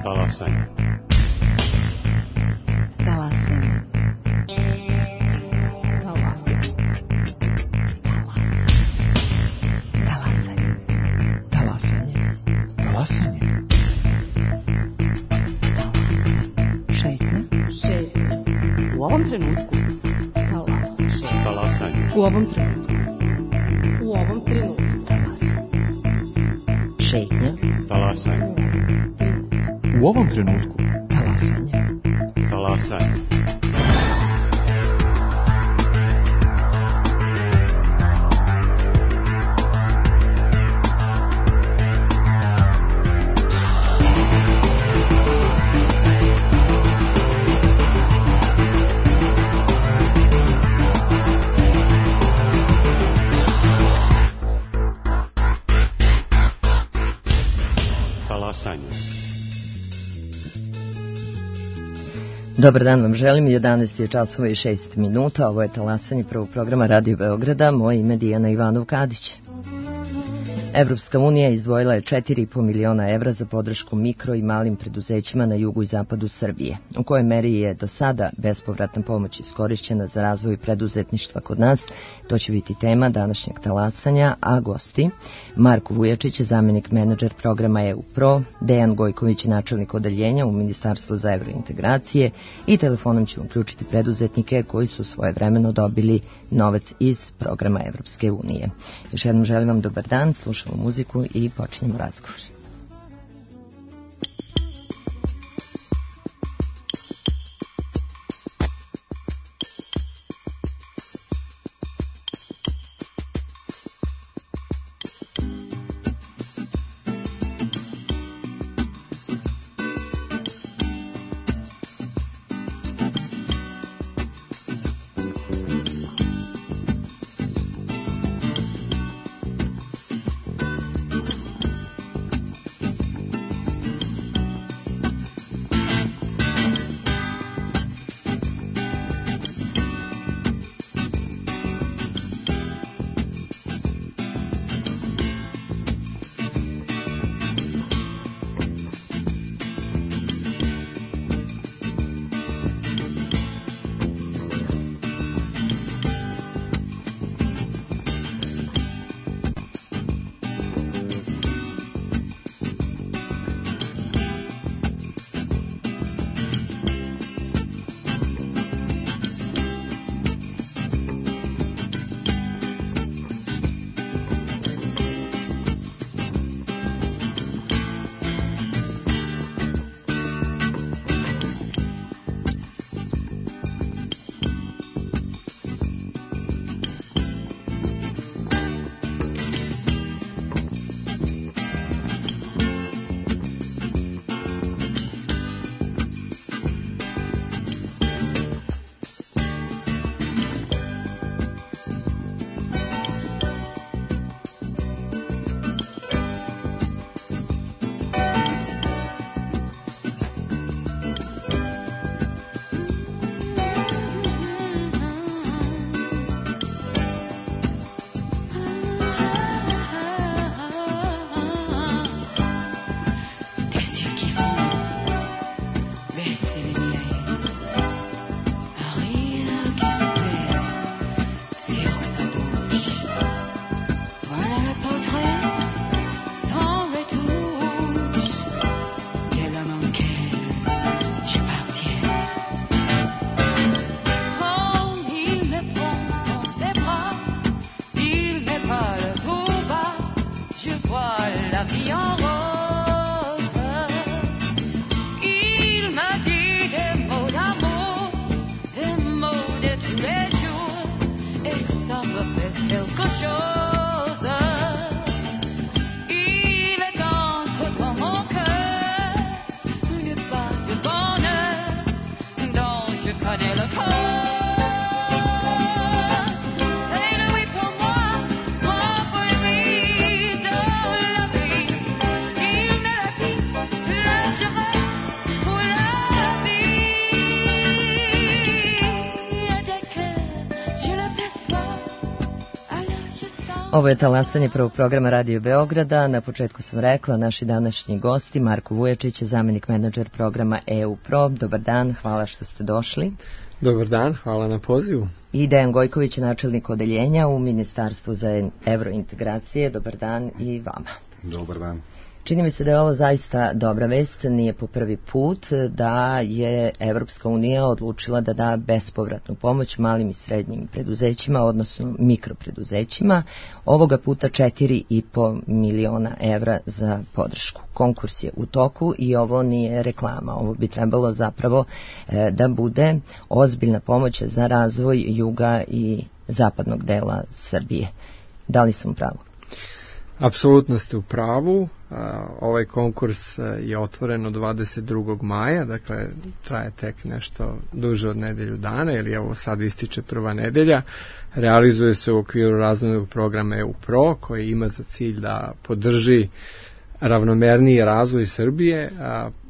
Talasanje. Talasanje. Talasanje. Talasanje. Talasanje. Talasanje. Šetnja. U ovom trenutku. Talasanje. U ovom trenutku. U ovom trenutku. Šetnja. Talasanje. U ovom trenutku. Talasanje. Talasanje. Dobar dan vam želim, 11 je časova i 6 minuta, ovo je Talasanje prvog programa Radio Beograda, moje ime Dijana Ivanov-Kadić. Evropska unija izdvojila je 4,5 miliona evra za podršku mikro i malim preduzećima na jugu i zapadu Srbije. U kojoj meri je do sada bespovratna pomoć iskorišćena za razvoj preduzetništva kod nas, to će biti tema današnjeg Talasanja, a gosti Marko Vujačić je zamjenik menadžer programa EU Pro, Dejan Gojković je načelnik odeljenja u Ministarstvu za evrointegracije i telefonom ćemo uključiti preduzetnike koji su svojevremeno dobili novac iz programa Evropske unije. Još jednom želim vam dobar dan, slušamo muziku i počinjemo razgovor. Ovo je talasanje prvog programa Radio Beograda. Na početku sam rekla, naši današnji gosti, Marko Vujačić, zamenik menadžer programa EU Pro. Dobar dan, hvala što ste došli. Dobar dan, hvala na pozivu. I Dejan Gojković, načelnik odeljenja u Ministarstvu za evrointegracije. Dobar dan i vama. Dobar dan. Čini mi se da je ovo zaista dobra vest, nije po prvi put da je Evropska unija odlučila da da bespovratnu pomoć malim i srednjim preduzećima, odnosno mikropreduzećima, ovoga puta 4,5 miliona evra za podršku. Konkurs je u toku i ovo nije reklama, ovo bi trebalo zapravo da bude ozbiljna pomoć za razvoj juga i zapadnog dela Srbije. Da li sam u pravu? Apsolutno ste u pravu. Ovaj konkurs je otvoren od 22. maja, dakle traje tek nešto duže od nedelju dana, ili evo sad ističe prva nedelja. Realizuje se u okviru razvojnog programa EU Pro, koji ima za cilj da podrži ravnomerniji razvoj Srbije,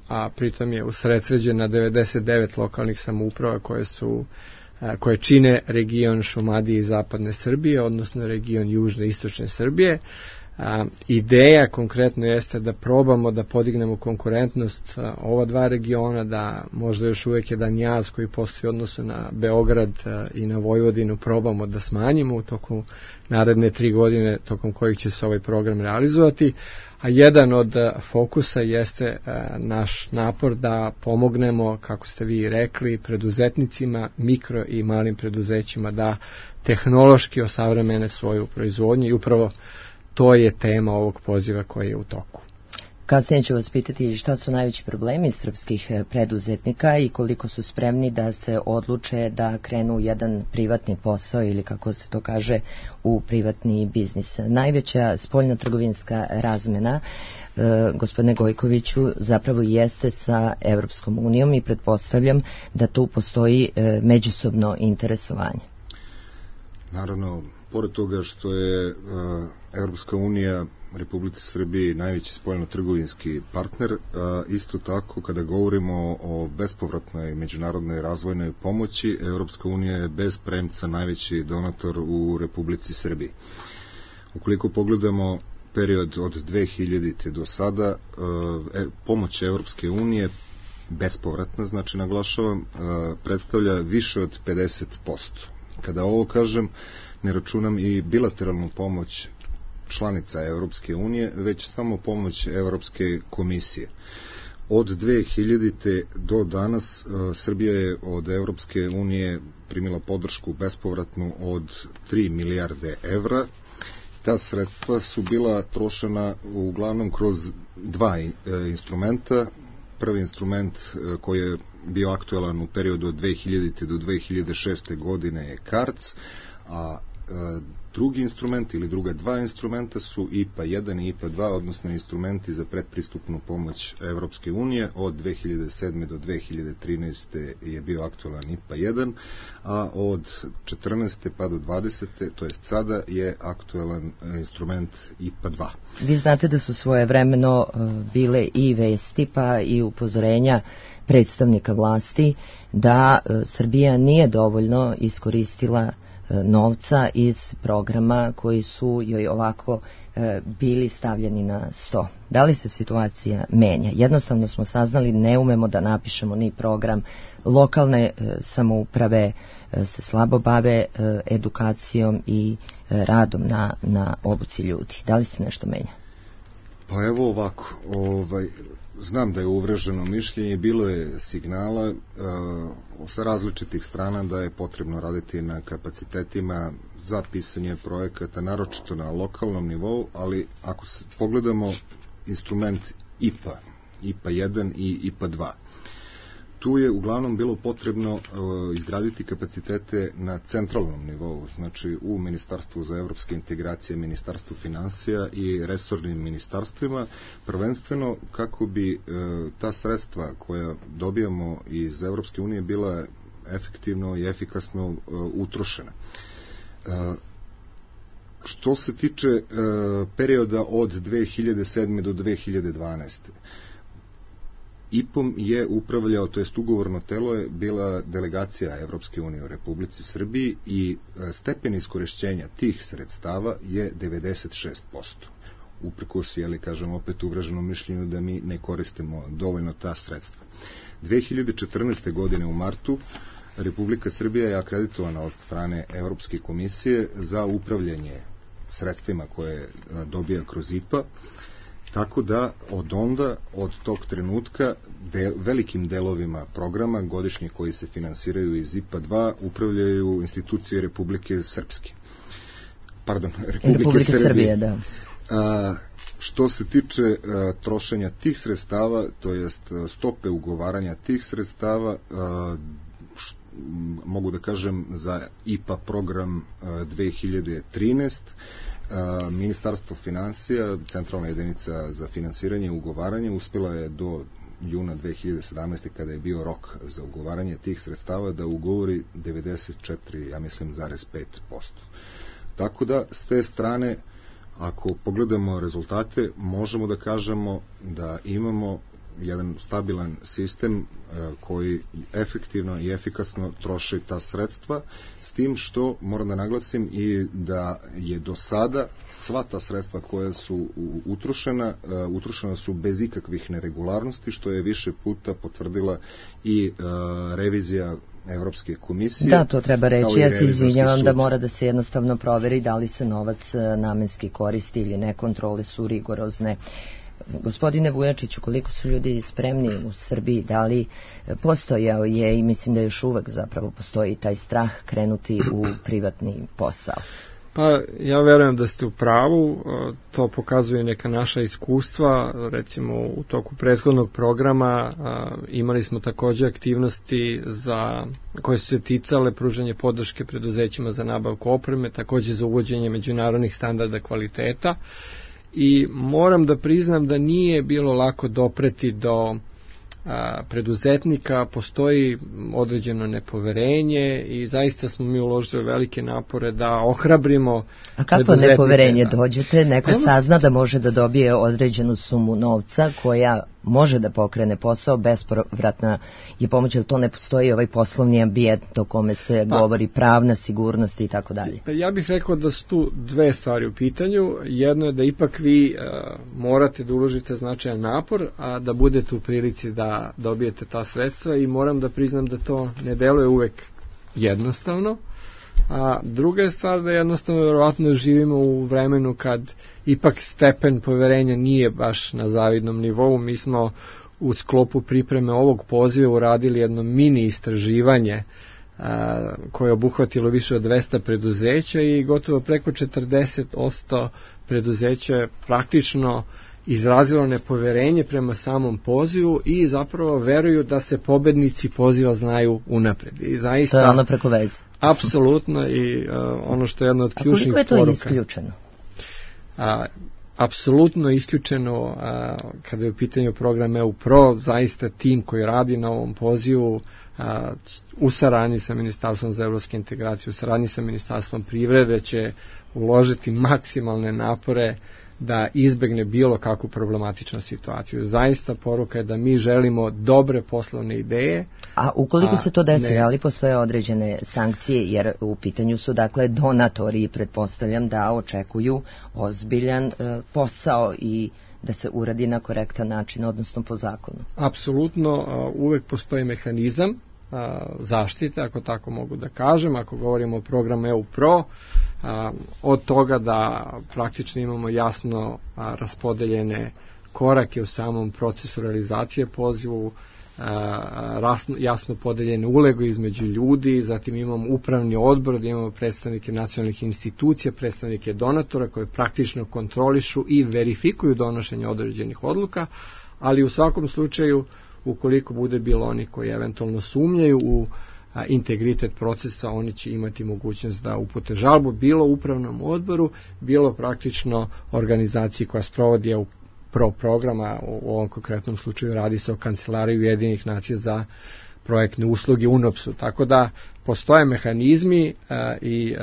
a pritom je usredsređen na 99 lokalnih samouprava koje čine region Šumadije i zapadne Srbije, odnosno region južne i istočne Srbije. Ideja konkretno jeste da probamo da podignemo konkurentnost ova dva regiona, da možda još uvijek jedan jaz koji postoji u odnosu na Beograd i na Vojvodinu probamo da smanjimo u toku naredne 3 godine tokom kojih će se ovaj program realizovati, a jedan od fokusa jeste naš napor da pomognemo, kako ste vi rekli, preduzetnicima, mikro i malim preduzećima da tehnološki osavremene svoju proizvodnju i upravo to je tema ovog poziva koji je u toku. Kasnije ću vas pitati šta su najveći problemi srpskih preduzetnika i koliko su spremni da se odluče da krenu jedan privatni posao ili, kako se to kaže, u privatni biznis. Najveća spoljno-trgovinska razmena, gospodine Gojkoviću, zapravo jeste sa Evropskom unijom i pretpostavljam da tu postoji međusobno interesovanje. Naravno, pored toga što je Evropska unija Republici Srbiji najveći spoljno-trgovinski partner, isto tako kada govorimo o bespovratnoj međunarodnoj razvojnoj pomoći, Evropska unija je bez premca najveći donator u Republici Srbiji. Ukoliko pogledamo period od 2000. do sada, pomoć Evropske unije bespovratna, znači naglašavam, predstavlja više od 50%. Kada ovo kažem, ne računam i bilateralnu pomoć članica Evropske unije, već samo pomoć Evropske komisije. Od 2000. do danas Srbija je od Evropske unije primila podršku bespovratnu od 3 milijarde evra. Ta sredstva su bila trošena uglavnom kroz dva instrumenta. Prvi instrument koji je bio aktuelan u periodu od 2000. do 2006. godine je CARDS, a drugi instrument ili druga dva instrumenta su IPA 1 i IPA 2, odnosno instrumenti za predpristupnu pomoć Evropske unije. Od 2007. do 2013. je bio aktualan IPA 1, a od 14. pa do 20. to jest sada je aktualan instrument IPA 2. Vi znate da su svojevremeno bile i vesti pa i upozorenja predstavnika vlasti da Srbija nije dovoljno iskoristila novca iz programa koji su joj ovako bili stavljeni na sto. Da li se situacija menja? Jednostavno smo saznali, ne umemo da napišemo ni program. Lokalne samouprave se slabo bave edukacijom i radom na obuci ljudi. Da li se nešto menja? Pa evo ovako, znam da je uvreženo mišljenje, bilo je signala sa različitih strana da je potrebno raditi na kapacitetima za pisanje projekata, naročito na lokalnom nivou, ali ako pogledamo instrument IPA 1 i IPA 2, tu je uglavnom bilo potrebno izgraditi kapacitete na centralnom nivou, znači u Ministarstvu za evropske integracije, Ministarstvu finansija i resornim ministarstvima, prvenstveno kako bi ta sredstva koja dobijamo iz Evropske unije bila efektivno i efikasno utrošena. Što se tiče perioda od 2007. do 2012. IPom je upravljao, to jest ugovorno telo je bila delegacija Evropske unije u Republici Srbiji i stepen iskorišćenja tih sredstava je 96%. Uprkos, kažem opet uvraženom mišljenju da mi ne koristimo dovoljno ta sredstva. 2014. godine u martu Republika Srbija je akreditovana od strane Evropske komisije za upravljanje sredstvima koje dobija kroz IPA, tako da od tog trenutka velikim delovima programa godišnje koji se finansiraju iz IPA 2 upravljaju institucije Republike Srpske. Republike Srbije, da. Što se tiče trošenja tih sredstava, to jest stope ugovaranja tih sredstava, mogu da kažem za IPA program 2013, Ministarstvo finansija, centralna jedinica za finansiranje i ugovaranje, uspjela je do juna 2017. kada je bio rok za ugovaranje tih sredstava da ugovori 94,5%. Tako da, s te strane, ako pogledamo rezultate, možemo da kažemo da imamo jedan stabilan sistem koji efektivno i efikasno troši ta sredstva, s tim što moram da naglasim i da je do sada sva ta sredstva koja su utrošena su bez ikakvih neregularnosti, što je više puta potvrdila i revizija Evropske komisije. Da, to treba reći. Ja se izvinjavam da mora da se jednostavno proveri da li se novac namenski koristi ili ne, kontrole su rigorozne. Gospodine Vujačiću, koliko su ljudi spremni u Srbiji, da li postojao je i mislim da još uvek zapravo postoji taj strah krenuti u privatni posao? Pa ja verujem da ste u pravu, to pokazuje neka naša iskustva, recimo u toku prethodnog programa imali smo takođe aktivnosti koje su se ticale pružanje podrške preduzećima za nabavku opreme, takođe za uvođenje međunarodnih standarda kvaliteta. I moram da priznam da nije bilo lako dopreti do preduzetnika, postoji određeno nepoverenje i zaista smo mi uložili velike napore da ohrabrimo preduzetnike. A kako nepoverenje? Dođete, neko sazna da može da dobije određenu sumu novca koja može da pokrene posao, bespovratna je pomoć, jer to ne postoji ovaj poslovni ambijent o kome se govori, pravna sigurnost i tako dalje. Ja bih rekao da su tu dve stvari u pitanju. Jedno je da ipak vi morate da uložite značajan napor, a da budete u prilici da dobijete ta sredstva, i moram da priznam da to ne deluje uvek jednostavno. A druga je stvar da jednostavno verovatno živimo u vremenu kad ipak stepen poverenja nije baš na zavidnom nivou. Mi smo u sklopu pripreme ovog poziva uradili jedno mini istraživanje koje je obuhvatilo više od 200 preduzeća i gotovo preko 40% preduzeća je praktično izrazilo nepoverenje prema samom pozivu i zapravo veruju da se pobednici poziva znaju unapred. I zaista, to je ono preko veze. Apsolutno, i ono što je jedno od ključnih poruka. A koliko je to isključeno? Apsolutno isključeno kada je u pitanju program EU Pro, zaista tim koji radi na ovom pozivu u saradnji sa Ministarstvom za evropske integracije, u saradnji sa Ministarstvom privrede će uložiti maksimalne napore da izbegne bilo kakvu problematičnu situaciju. Zaista poruka je da mi želimo dobre poslovne ideje. A ukoliko se to desi, ali postoje određene sankcije, jer u pitanju su dakle donatori i pretpostavljam da očekuju ozbiljan posao i da se uradi na korektan način, odnosno po zakonu. Apsolutno, uvek postoji mehanizam zaštite, ako tako mogu da kažem, ako govorimo o programu EU Pro, od toga da praktično imamo jasno raspodeljene korake u samom procesu realizacije pozivu, jasno podeljene uloge između ljudi, zatim imamo upravni odbor gdje imamo predstavnike nacionalnih institucija, predstavnike donatora koje praktično kontrolišu i verifikuju donošenje određenih odluka, ali u svakom slučaju ukoliko bude bilo oni koji eventualno sumnjaju u integritet procesa, oni će imati mogućnost da upute žalbu bilo upravnom odboru, bilo praktično organizaciji koja sprovodi EU Pro programa, u ovom konkretnom slučaju radi se o Kancelariji Ujedinjenih nacija za projektne usluge UNOPS-u. Tako da postoje mehanizmi i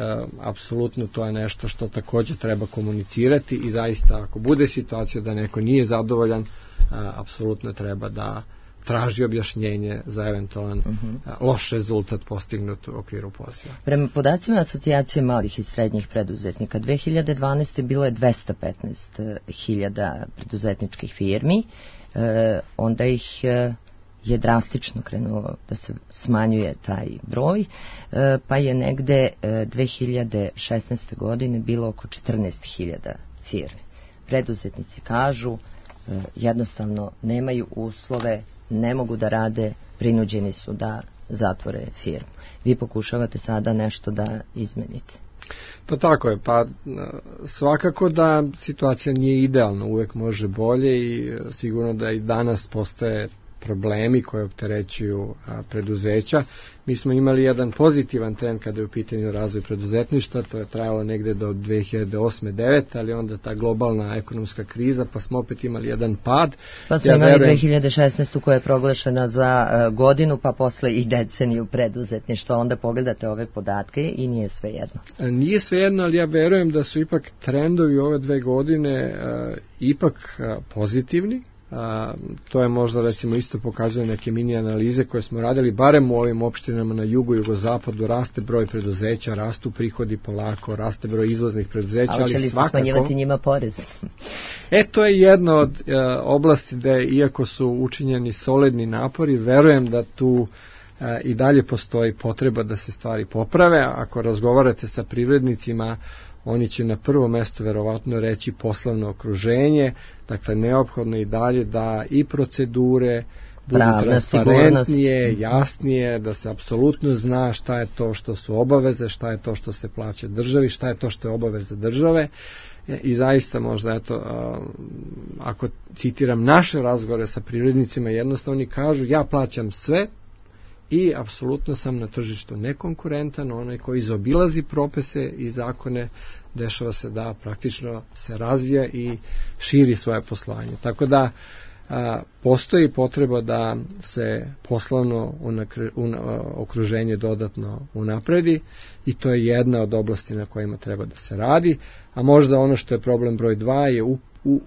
apsolutno to je nešto što također treba komunicirati i zaista ako bude situacija da neko nije zadovoljan, apsolutno treba da traži objašnjenje za eventualan loš rezultat postignut u okviru poziva. Prema podacima Asocijacije malih i srednjih preduzetnika, 2012. bilo je 215.000 preduzetničkih firmi, onda ih je drastično krenuo da se smanjuje taj broj, pa je negde 2016. godine bilo oko 14.000 firmi. Preduzetnici kažu jednostavno nemaju uslove, ne mogu da rade, prinuđeni su da zatvore firmu. Vi pokušavate sada nešto da izmenite. Pa tako je, pa svakako da situacija nije idealna, uvek može bolje i sigurno da i danas postoje problemi koje opterećuju preduzeća. Mi smo imali jedan pozitivan trend kada je u pitanju razvoj preduzetništva, to je trajalo negde do 2008-2009, ali onda ta globalna ekonomska kriza, pa smo opet imali jedan pad. Pa smo imali 2016. koja je proglašena za godinu, pa posle i deceniju preduzetništva. Onda pogledate ove podatke i nije sve jedno. Nije sve jedno, ali ja verujem da su ipak trendovi ove 2 godine ipak pozitivni. To je možda recimo isto pokazuje neke mini analize koje smo radili, barem u ovim opštinama na jugu i jugozapadu raste broj preduzeća, rastu prihodi polako, raste broj izvoznih preduzeća, ali će li svakako... se smanjivati njima porez? To je jedna od oblasti gde, iako su učinjeni solidni napori, verujem da tu i dalje postoji potreba da se stvari poprave. Ako razgovarate sa privrednicima, oni će na prvo mesto verovatno reći poslovno okruženje, dakle neophodno i dalje da i procedure budu transparentnije, jasnije, da se apsolutno zna šta je to što su obaveze, šta je to što se plaća državi, šta je to što je obaveza države. I zaista možda, ako citiram naše razgovore sa privrednicima, jednostavno oni kažu ja plaćam sve, i apsolutno sam na tržištu nekonkurentan, onaj koji zaobilazi propise i zakone, dešava se da praktično se razvija i širi svoje poslovanje. Tako da postoji potreba da se poslovno okruženje dodatno unapredi i to je jedna od oblasti na kojima treba da se radi, a možda ono što je problem broj 2 je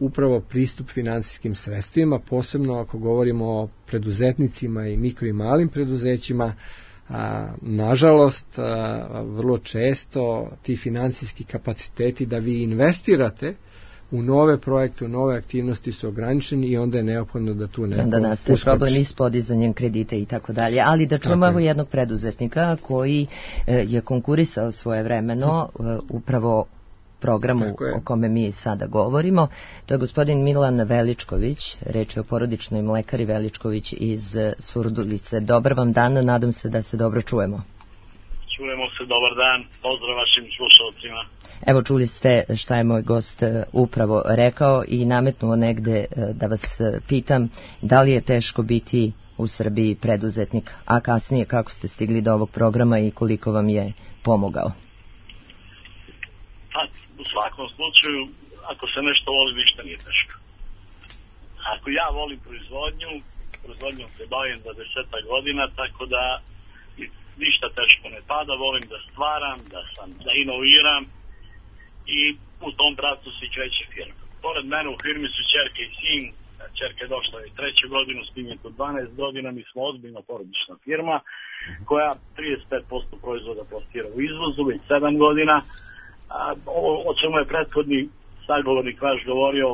upravo pristup finansijskim sredstvima, posebno ako govorimo o preduzetnicima i mikro i malim preduzećima. Nažalost, vrlo često ti finansijski kapaciteti da vi investirate u nove projekte, u nove aktivnosti su ograničeni i onda je neophodno da tu neko uskoči. Onda nastaje problem i s podizanjem kredita i tako dalje. Ali da čujemo evo jednog preduzetnika koji je konkurisao svojevremeno upravo programu o kome mi sada govorimo. To je gospodin Milan Veličković, reč je o porodičnoj mlekari Veličković iz Surdulice. Dobar vam dan, nadam se da se dobro čujemo. Čujemo se, dobar dan, pozdrav vašim slušalcima. Evo čuli ste šta je moj gost upravo rekao i nametnuo negde da vas pitam da li je teško biti u Srbiji preduzetnik, a kasnije kako ste stigli do ovog programa i koliko vam je pomogao. Pa, u svakom slučaju, ako se nešto voli, ništa nije teško. Ako ja volim proizvodnjom se bavim za 10 godina, tako da ništa teško ne pada, volim da stvaram, da inoviram i u tom pravcu se kreće firma. Pored mene u firmi su ćerka i sin, ćerka je došla i 3. godinu, sin je tu 12 godina, mi smo ozbiljno porodična firma koja 35% proizvoda plasira u izvozu, već 7 godina. O čemu je prethodni sagovornik vaš govorio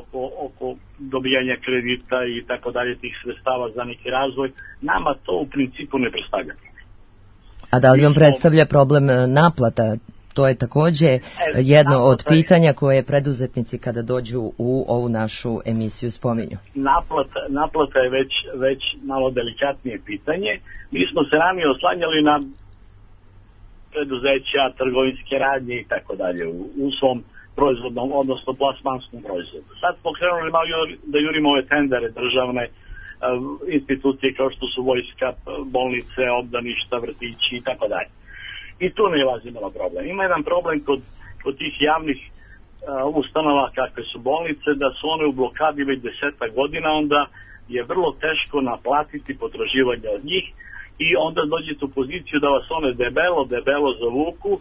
oko dobijanja kredita i tako dalje tih sredstava za neki razvoj, nama to u principu ne predstavlja. A da li vam predstavlja problem naplata? To je takođe jedno od pitanja koje preduzetnici kada dođu u ovu našu emisiju spominju. Naplata je već malo delikatnije pitanje. Mi smo se ranije oslanjali na preduzeća, trgovinske radnje i tako dalje u svom proizvodnom, odnosno plasmanskom proizvodu. Sad smo krenuli malo da jurimo ove tendere državne institucije kao što su vojska, bolnice, obdaništa, vrtići i tako dalje. I tu ne ilazi malo problem. Ima jedan problem kod tih javnih ustanova kakve su bolnice, da su one u blokadi već 10 godina, onda je vrlo teško naplatiti potraživanja od njih i onda dođete u poziciju da vas one debelo zavuku,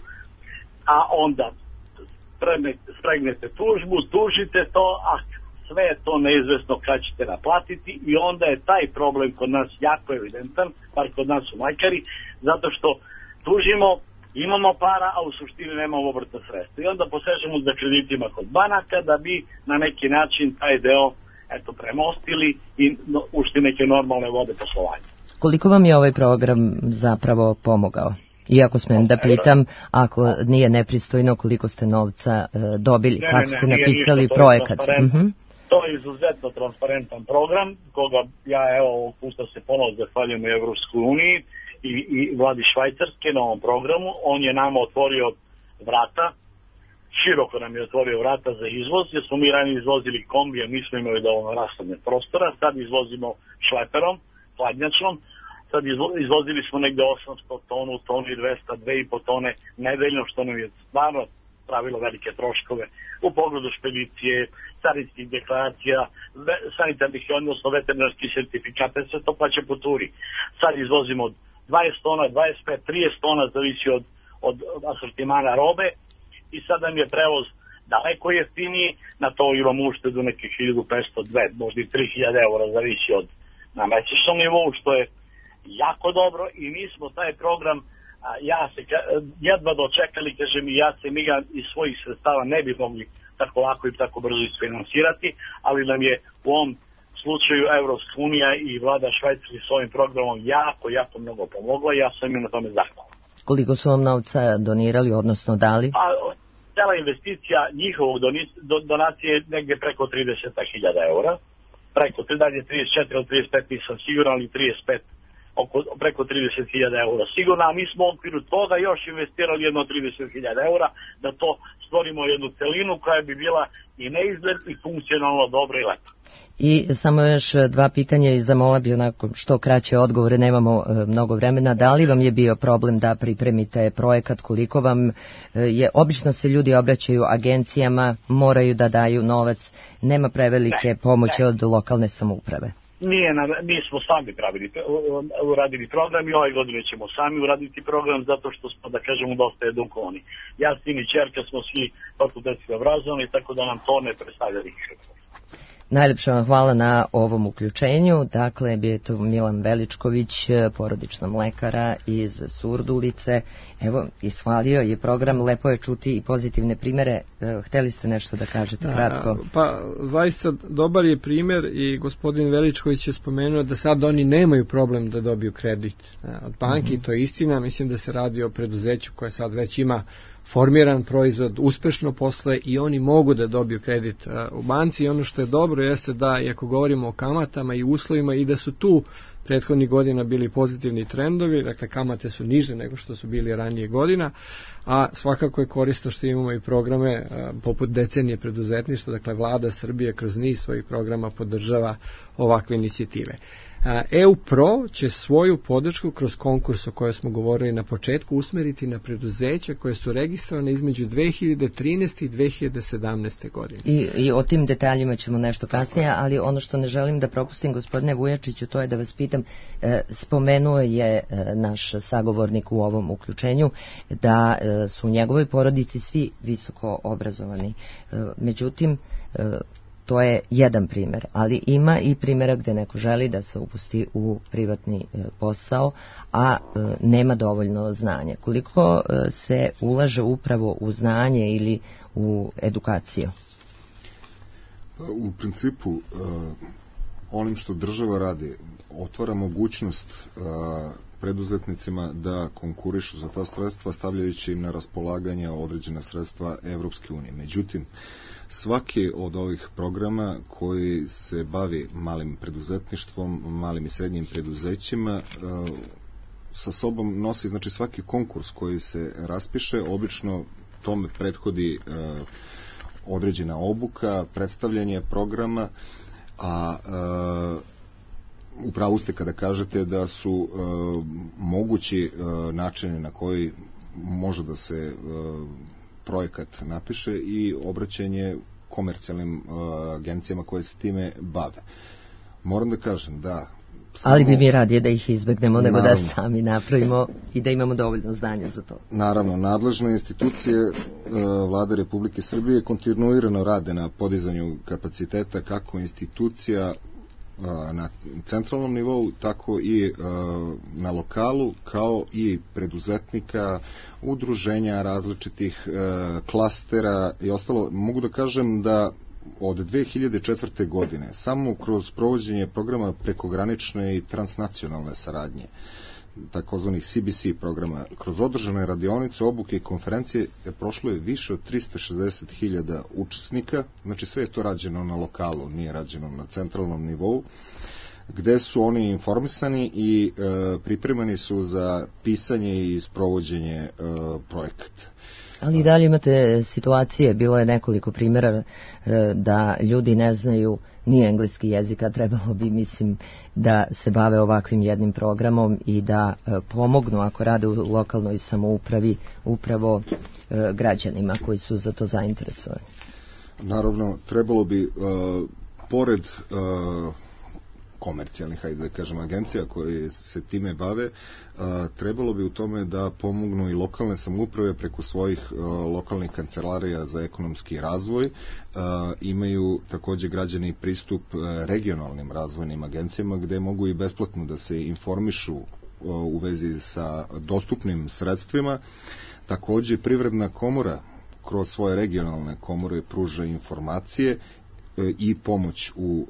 a onda spregnete tužbu, tužite to, a sve je to neizvesno kad ćete naplatiti i onda je taj problem kod nas jako evidentan, bar kod nas u Majkari, zato što tužimo, imamo para, a u suštini nemamo obrtna sredstva. I onda posežemo za kreditima kod banaka da bi na neki način taj deo premostili i ušli neke normalne vode poslovanja. Koliko vam je ovaj program zapravo pomogao? Iako smem da pitam, ako nije nepristojno, koliko ste novca dobili, kako ste napisali projekat? To je izuzetno transparentan program, koga ja ovog puta se ponovno zahvaljujem u Evropskoj uniji i vladi Švajcarske na ovom programu. On je nama otvorio vrata, široko nam je otvorio vrata za izvoz, jer smo mi ranije izvozili kombije, nismo imali dovoljno rashodne prostora, sad izvozimo šleperom, hladnjačnom, sad izvozili smo negde 800 tonu, tonu i 200, 2,5 tone nedeljno, što nam je stvarno pravilo velike troškove u pogledu špedicije, carinskih deklaracija, sanitarnih, odnosno veterinarskih sertifikata, sve to plaća po turi. Sad izvozimo 20 tona, 25, 30 tona, zavisi od asortimana robe i sad nam je prevoz daleko jeftiniji, na to imamo uštedu nekih 1500, 2, možda i 3000 eura, zavisi od na mesečnom nivou, što je jako dobro i mi smo taj program jedva dočekali, kažem, i mi ga iz svojih sredstava ne bi mogli tako lako i tako brzo isfinansirati, ali nam je u ovom slučaju Evropska unija i vlada Švajcarske s ovim programom jako mnogo pomogla i ja sam im na tome zahvalan. Koliko su vam novca donirali, odnosno dali? Cela investicija njihovog donacije je negdje preko 30.000 eura, dalje 34 ili 35 nisam siguran, ali 35, preko 30.000 eura sigurno, a mi smo u okviru toga još investirali jedno 30.000 eura da to stvorimo jednu celinu koja bi bila i neizgled i funkcionalno dobra i lepa. I samo još dva pitanja i zamola bi onako što kraće odgovore, nemamo mnogo vremena. Da li vam je bio problem da pripremite projekat, koliko vam je, obično se ljudi obraćaju agencijama, moraju da daju novac, nema prevelike pomoći od lokalne samouprave? Mi smo sami uradili program i ove godine ćemo sami uraditi program zato što smo, da kažemo, dosta edukovani. Ja, sin i čerka smo svi fakultetski obrazovani, tako da nam to ne predstavlja nikakve. Najlepša vam hvala na ovom uključenju. Dakle, bio je to Milan Veličković, porodična mlekara iz Surdulice. Evo, ishvalio je program, lepo je čuti i pozitivne primere. Hteli ste nešto da kažete kratko? Pa, zaista dobar je primer i gospodin Veličković je spomenuo da sad oni nemaju problem da dobiju kredit od banki, to je istina. Mislim da se radi o preduzeću koje sad već ima formiran proizvod, uspešno posluje i oni mogu da dobiju kredit u banci i ono što je dobro jeste da, iako govorimo o kamatama i uslovima, i da su tu prethodnih godina bili pozitivni trendovi, dakle kamate su niže nego što su bili ranije godina, a svakako je korisno što imamo i programe poput decenije preduzetništva, dakle vlada Srbije kroz niz svojih programa podržava ovakve inicijative. EU Pro će svoju podršku kroz konkurs o kojoj smo govorili na početku usmeriti na preduzeća koje su registrovane između 2013. i 2017. godine. I o tim detaljima ćemo nešto kasnije, ali ono što ne želim da propustim, gospodine Vujačiću, to je da vas pitam, spomenuo je naš sagovornik u ovom uključenju da su u njegovoj porodici svi visoko obrazovani. Međutim, to je jedan primjer, ali ima i primjera gdje neko želi da se upusti u privatni posao, a nema dovoljno znanja. Koliko se ulaže upravo u znanje ili u edukaciju? U principu, onim što država radi, otvara mogućnost preduzetnicima da konkurišu za ta sredstva, stavljajući im na raspolaganje određena sredstva Evropske unije. Međutim, svaki od ovih programa koji se bavi malim preduzetništvom, malim i srednjim preduzećima, sa sobom nosi, znači svaki konkurs koji se raspiše, obično tome prethodi određena obuka, predstavljanje programa, a upravo ste kada kažete da su mogući načini na koji može da se projekat napiše i obraćanje komercijalnim agencijama koje se time bave. Moram da kažem da Ali bi mi radije da ih izbegnemo nego da sami napravimo i da imamo dovoljno znanja za to. Naravno, nadležne institucije Vlade Republike Srbije kontinuirano rade na podizanju kapaciteta kako institucija na centralnom nivou, tako i na lokalu, kao i preduzetnika, udruženja različitih klastera i ostalo. Mogu da kažem da od 2004. godine samo kroz provođenje programa prekogranične i transnacionalne saradnje, takozvanih CBC programa, kroz održane radionice, obuke i konferencije prošlo je više od 360.000 učesnika, znači sve je to rađeno na lokalu, nije rađeno na centralnom nivou, gde su oni informisani i pripremani su za pisanje i sprovođenje projekata. Ali i dalje imate situacije, bilo je nekoliko primjera da ljudi ne znaju ni engleski jezik, a trebalo bi, mislim, da se bave ovakvim jednim programom i da pomognu, ako rade u lokalnoj samoupravi, upravo građanima koji su za to zainteresovani. Naravno, trebalo bi, pored komercijalnih, hajde da kažem, agencija koje se time bave, trebalo bi u tome da pomognu i lokalne samouprave preko svojih lokalnih kancelarija za ekonomski razvoj. Imaju takođe građani pristup regionalnim razvojnim agencijama gde mogu i besplatno da se informišu u vezi sa dostupnim sredstvima. Takođe Privredna komora kroz svoje regionalne komore pruža informacije i pomoć u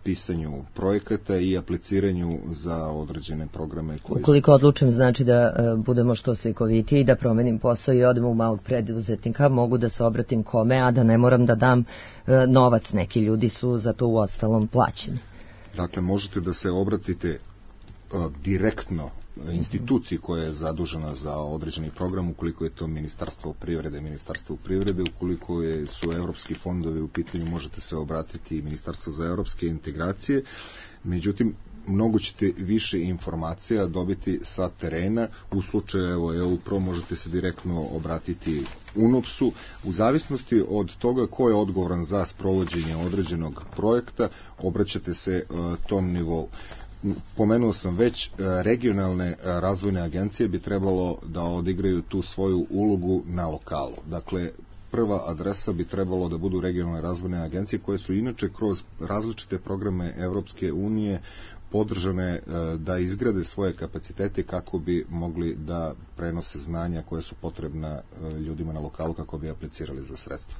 pisanju projekata i apliciranju za određene programe. Ukoliko odlučim, znači da budemo što slikovitiji i da promenim posao i odem u malog preduzetnika, mogu da se obratim kome, a da ne moram da dam novac. Neki ljudi su za to u ostalom plaćeni. Dakle, možete da se obratite direktno instituciji koja je zadužena za određeni program, ukoliko je to Ministarstvo privrede, ukoliko su evropski fondovi u pitanju, možete se obratiti i Ministarstvo za evropske integracije. Međutim, mnogo ćete više informacija dobiti sa terena. U slučaju EU-PRO možete se direktno obratiti UNOPS-u. U zavisnosti od toga ko je odgovoran za sprovođenje određenog projekta, obraćate se tom nivou. Pomenuo sam već, regionalne razvojne agencije bi trebalo da odigraju tu svoju ulogu na lokalu. Dakle, prva adresa bi trebalo da budu regionalne razvojne agencije koje su inače kroz različite programe Evropske unije podržane da izgrade svoje kapacitete kako bi mogli da prenose znanja koje su potrebna ljudima na lokalu kako bi aplicirali za sredstva.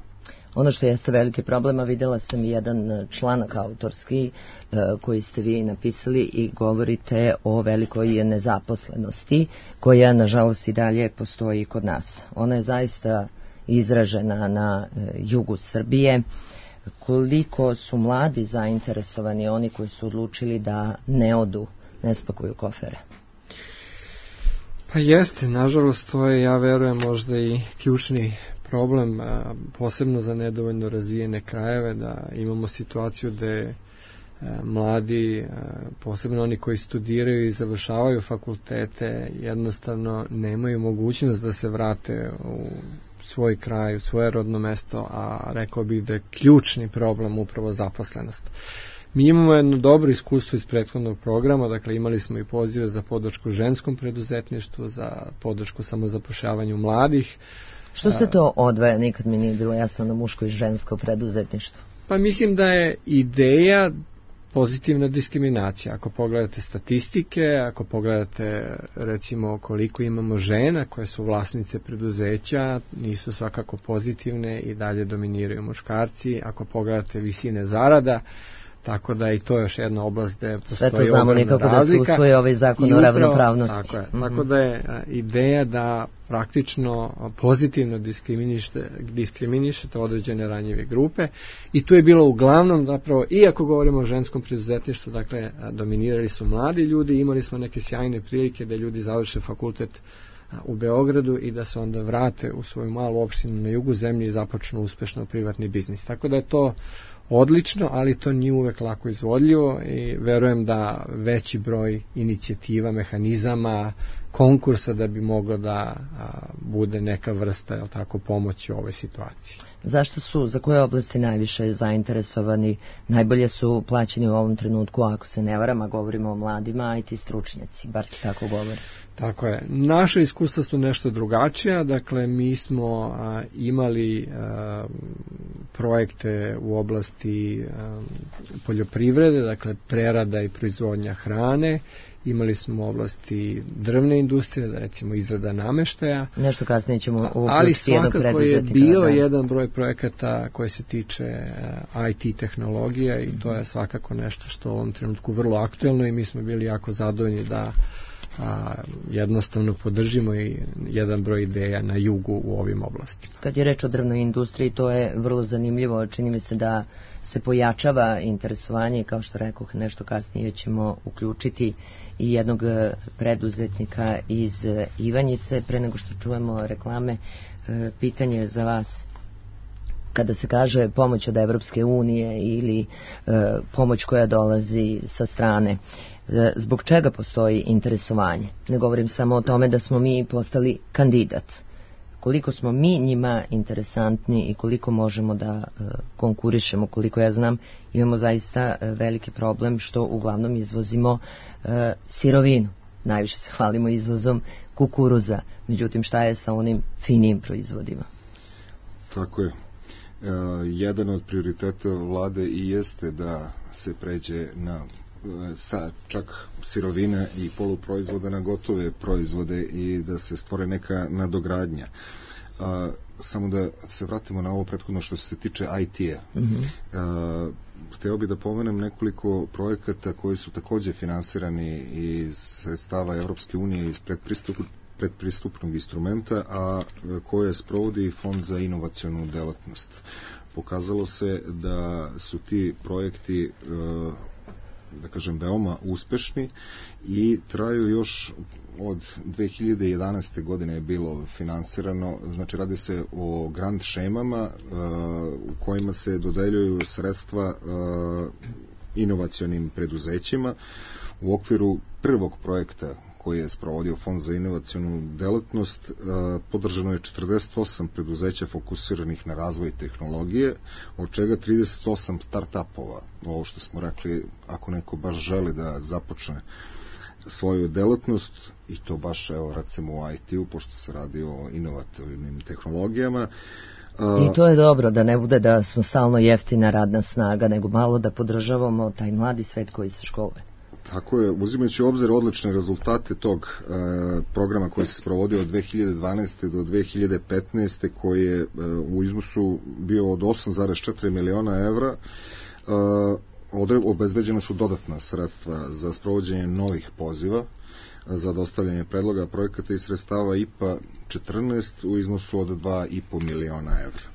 Ono što jeste veliki problem, a vidjela sam jedan članak autorski koji ste vi napisali i govorite o velikoj nezaposlenosti koja nažalost i dalje postoji kod nas. Ona je zaista izražena na jugu Srbije. Koliko su mladi zainteresovani, oni koji su odlučili da ne odu, ne spakuju kofere? Pa jeste, nažalost to je, ja verujem, možda i ključni problem, posebno za nedovoljno razvijene krajeve, da imamo situaciju da mladi, posebno oni koji studiraju i završavaju fakultete, jednostavno nemaju mogućnost da se vrate u svoj kraj, u svoje rodno mesto, a rekao bih da je ključni problem upravo zaposlenost. Mi imamo jedno dobro iskustvo iz prethodnog programa, dakle imali smo i pozive za podršku ženskom preduzetništvu, za podršku samozapošljavanju mladih. Što se to odvaja? Nikad mi nije bilo jasno na muško i žensko preduzetništvo. Pa mislim da je ideja pozitivna diskriminacija. Ako pogledate statistike, ako pogledate recimo koliko imamo žena koje su vlasnice preduzeća, nisu svakako pozitivne i dalje dominiraju muškarci. Ako pogledate visine zarada, tako da i to je još jedna oblast gde postoji ogromna razlika. Sve to znamo nikako da se usvoji ovaj zakon o ravnopravnosti. Tako je. Tako da je ideja da praktično pozitivno diskriminišete određene ranjive grupe i tu je bilo uglavnom zapravo, i ako govorimo o ženskom preduzetništvu, dakle dominirali su mladi ljudi, imali smo neke sjajne prilike da ljudi završe fakultet u Beogradu i da se onda vrate u svoju malu opštinu na jugu zemlje i započnu uspešno privatni biznis. Tako da je to odlično, ali to nije uvek lako izvodljivo i verujem da veći broj inicijativa, mehanizama, konkursa da bi moglo da bude neka vrsta, jel tako, pomoći u ovoj situaciji. Zašto su, za koje oblasti najviše zainteresovani, najbolje su plaćeni u ovom trenutku, ako se ne varam, a govorimo o mladima, IT stručnjaci, bar se tako govori? Tako je. Naše iskustva su nešto drugačija, dakle mi smo imali projekte u oblasti poljoprivrede, dakle prerada i proizvodnja hrane, imali smo u oblasti drvne industrije, da recimo izrada nameštaja. Nešto kasnije ćemo ali svakako je bio jedan broj projekata koji se tiče IT tehnologija i to je svakako nešto što u ovom trenutku vrlo aktuelno i mi smo bili jako zadovoljni da jednostavno podržimo i jedan broj ideja na jugu u ovim oblastima. Kad je reč o drvnoj industriji, to je vrlo zanimljivo. Čini mi se da se pojačava interesovanje, kao što rekoh, nešto kasnije ćemo uključiti i jednog preduzetnika iz Ivanjice. Pre nego što čujemo reklame, pitanje za vas. Kada se kaže pomoć od Evropske unije ili pomoć koja dolazi sa strane, zbog čega postoji interesovanje? Ne govorim samo o tome da smo mi postali kandidat. Koliko smo mi njima interesantni i koliko možemo da konkurišemo, koliko ja znam, imamo zaista veliki problem što uglavnom izvozimo sirovinu. Najviše se hvalimo izvozom kukuruza. Međutim, šta je sa onim finim proizvodima? Tako je. Jedan od prioriteta vlade i jeste da se pređe na sa čak sirovine i poluproizvoda na gotove proizvode i da se stvore neka nadogradnja. Samo da se vratimo na ovo prethodno što se tiče IT-a. Hteo bih da pomenem nekoliko projekata koji su takođe finansirani iz sredstava Evropske unije iz predpristupnog instrumenta, a koje sprovodi Fond za inovacionu delatnost. Pokazalo se da su ti projekti da kažem veoma uspešni i traju još od 2011. godine je bilo finansirano, znači radi se o grant šemama u kojima se dodeljuju sredstva inovacionim preduzećima. U okviru prvog projekta koji je sprovodio Fond za inovacionu delatnost, podržano je 48 preduzeća fokusiranih na razvoj tehnologije, od čega 38 start-upova. Ovo što smo rekli, ako neko baš želi da započne svoju delatnost, i to baš, evo, recimo u IT-u, pošto se radi o inovativnim tehnologijama. I to je dobro, da ne bude da smo stalno jeftina radna snaga, nego malo da podržavamo taj mladi svet koji se školuje. Tako je, uzimajući u obzir odlične rezultate tog programa koji se sprovodio od 2012. do 2015. koji je u iznosu bio od 8,4 miliona evra, obezbeđena su dodatna sredstva za sprovođenje novih poziva za dostavljanje predloga projekata i sredstava IPA 14 u iznosu od 2,5 miliona evra.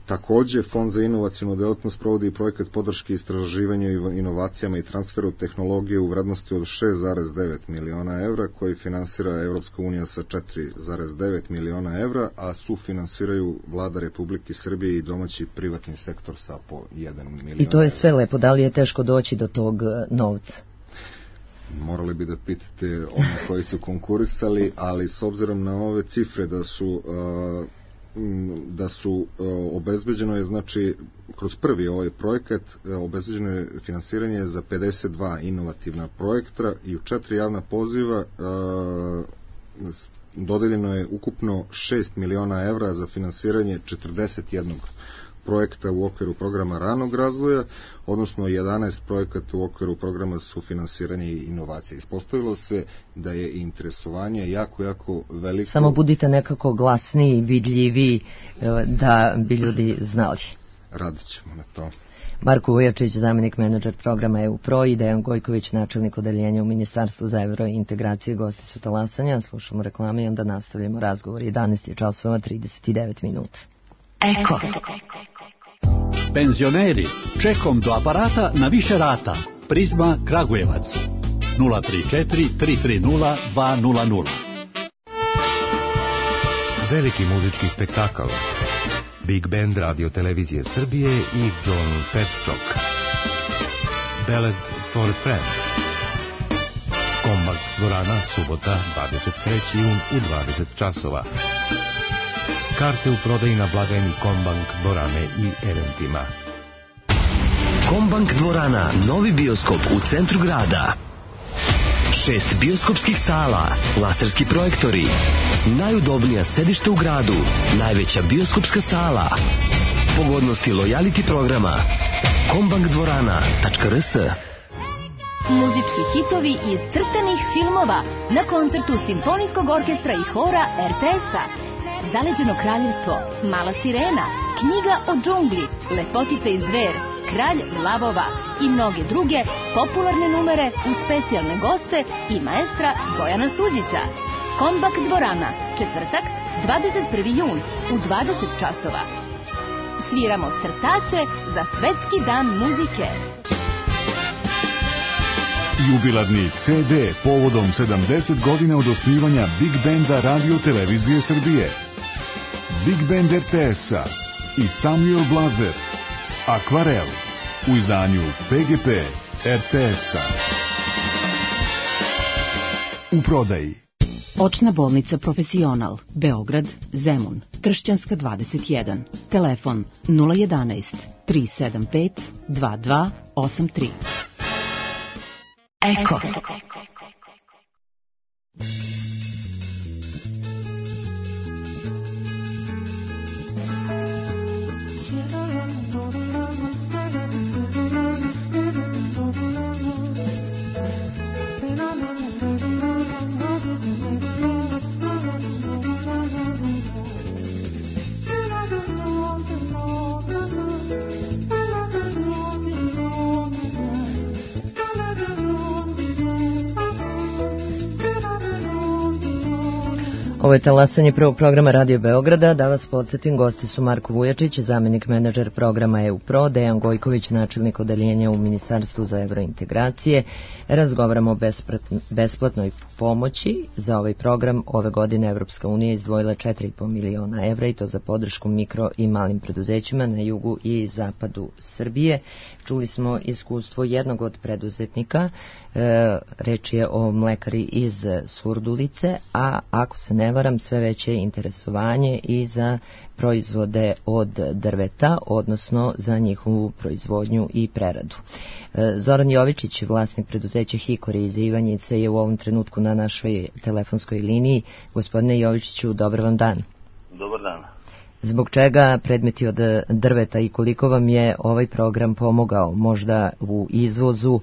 Takođe, Fond za inovacionu delatnost provodi projekat podrške istraživanju inovacijama i transferu tehnologije u vrednosti od 6,9 miliona evra, koji finansira Evropska unija sa 4,9 miliona evra, a sufinansiraju Vlada Republike Srbije i domaći privatni sektor sa po 1 milion. I to je sve lepo, da li je teško doći do tog novca? Morali bi da pitate one koji su konkurisali, ali s obzirom na ove cifre da su obezbeđeno je, znači, kroz prvi ovaj projekat obezbeđeno je finansiranje za 52 inovativna projekta i u 4 javna poziva dodeljeno je ukupno 6 miliona evra za finansiranje 41 projekta u okviru programa ranog razvoja, odnosno 11 projekata u okviru programa sufinansiranja i inovacije. Ispostavilo se da je interesovanje jako veliko. Samo budite nekako glasniji, vidljiviji, da bi ljudi znali. Radit ćemo na to. Marko Vujačić, zamjenik menadžer programa EU-PRO i Dejan Gojković, načelnik odeljenja u Ministarstvu za evrointegraciju i gosti su talasanja. Slušamo reklame i onda nastavljamo razgovor. 11 časova 39 minuta. Eko. Penzioneri, čekom do aparata na više rata. Prizma Kragujevac 034 330 200. Veliki muzički spektakl. Big Band Radio Televizije Srbije i John Petchok. Ballad for a Friend. Kombank dvorana, subota, 23. jun u 20 časova. Karte u prodaji na blagajni Kombank dvorane i eventima. Kombank dvorana, novi bioskop u centru grada. 6 bioskopskih sala, laserski projektori, najudobnija sedišta u gradu, najveća bioskopska sala, pogodnosti lojality programa, kombankdvorana.rs. Muzički hitovi iz crtanih filmova na koncertu Simfonijskog orkestra i hora RTS-a. Zaleđeno kraljevstvo, Mala sirena, Knjiga o džungli, Lepotica i zver, Kralj lavova i mnoge druge popularne numere uz specijalne goste i maestra Bojana Suđića. Kombank dvorana, četvrtak, 21. jun u 20 časova. Sviramo crtače za Svetski dan muzike. Jubilarni CD povodom 70 godina od osnivanja Big Benda Radio Televizije Srbije. Big Band RTS-a i Samuel Blazer. Akvarel u izdanju PGP RTS-a. U prodaji. Očna bolnica Profesional, Beograd, Zemun, Tršćanska 21. Telefon 011 375 2283. Eko. Ovo je talasanje prvog programa Radio Beograda. Da vas podsjetim, gosti su Marko Vujačić, zamjenik menadžer programa EU Pro, Dejan Gojković, načelnik odeljenja u Ministarstvu za evrointegracije. Razgovaramo o besplatnoj pomoći. Za ovaj program ove godine Evropska unija izdvojila 4,5 miliona evra i to za podršku mikro i malim preduzećima na jugu i zapadu Srbije. Čuli smo iskustvo jednog od preduzetnika, reč je o mlekari iz Surdulice, a ako se ne varam, sve veće interesovanje i za proizvode od drveta, odnosno za njihovu proizvodnju i preradu. Zoran Jovičić, vlasnik preduzeća Hikori iz Ivanjice, je u ovom trenutku na našoj telefonskoj liniji. Gospodine Jovičiću, dobar vam dan. Dobar dan. Zbog čega predmeti od drveta i koliko vam je ovaj program pomogao, možda u izvozu,